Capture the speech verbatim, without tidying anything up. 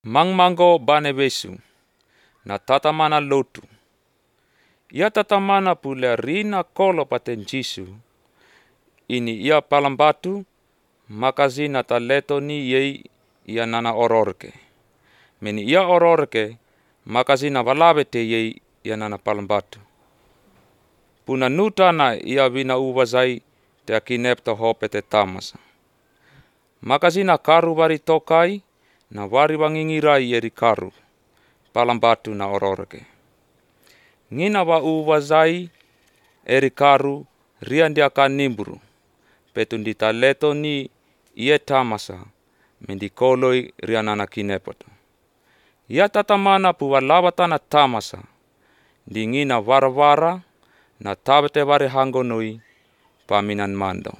Mangmango bane besu, na tatamana lotu. Ia tatamana pula rina kolo paten Jisu. Ini ia palambatu, makazina taleto ni yei ia nana ororke. Meni ia ororke, makazina valabete yei ia nana palambatu. Puna nutana ia vina uvazai te akinepta hopete tamasa. Makazina karu vari tokai, na vari wangingirai eri karu, palambatu na ororke. Ngina wa uvazai eri karu riandi akan nimburu, petundi taleto ni ie tamasa, mendikoloi rianana kinepoto. Ia tatamana puwa labatana tamasa, di ngina vara-vara na tabete vari hangonoi paminan mando.